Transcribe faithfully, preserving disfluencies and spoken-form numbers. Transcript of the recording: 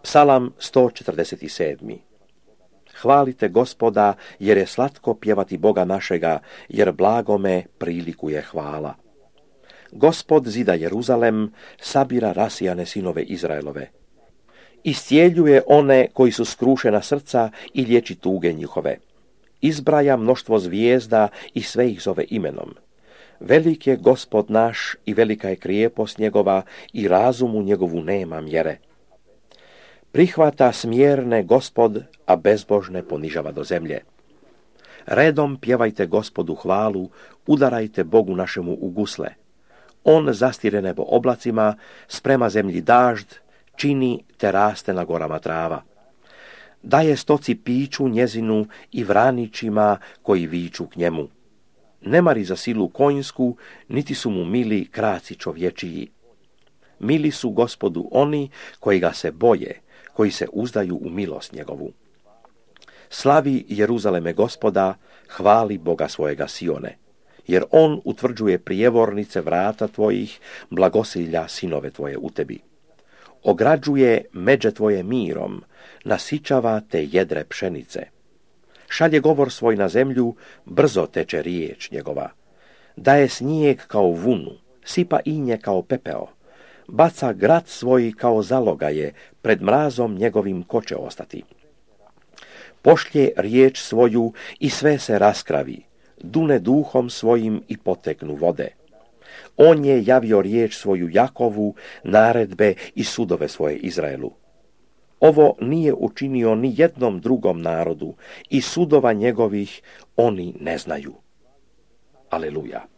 Psalam sto četrdeset sedam. Hvalite Gospoda, jer je slatko pjevati Boga našega, jer blagome prilikuje hvala. Gospod zida Jeruzalem, sabira rasijane sinove Izraelove. Iscijeljuje one koji su skrušena srca i liječi tuge njihove. Izbraja mnoštvo zvijezda i sve ih zove imenom. Velik je Gospod naš i velika je krijepost njegova i razumu njegovu nema mjere. Prihvata smjerne Gospod, a bezbožne ponižava do zemlje. Redom pjevajte Gospodu hvalu, udarajte Bogu našemu u gusle. On zastire nebo oblacima, sprema zemlji dažd, čini te raste na gorama trava. Daje stoci piću njezinu i vranićima koji viču k njemu. Ne mari za silu konjsku, niti su mu mili kraci čovječiji. Mili su Gospodu oni koji ga se boje, koji se uzdaju u milost njegovu. Slavi Jeruzaleme Gospoda, hvali Boga svojega Sione, jer on utvrđuje prijevornice vrata tvojih, blagosilja sinove tvoje u tebi. Ograđuje međe tvoje mirom, nasičava te jedre pšenice. Šalje govor svoj na zemlju, brzo teče riječ njegova. Daje snijeg kao vunu, sipa inje kao pepeo. Baca grad svoj kao zalogaje, pred mrazom njegovim ko će ostati. Pošlje riječ svoju i sve se raskravi, dune duhom svojim i poteknu vode. On je javio riječ svoju Jakovu, naredbe i sudove svoje Izraelu. Ovo nije učinio ni jednom drugom narodu i sudova njegovih oni ne znaju. Aleluja.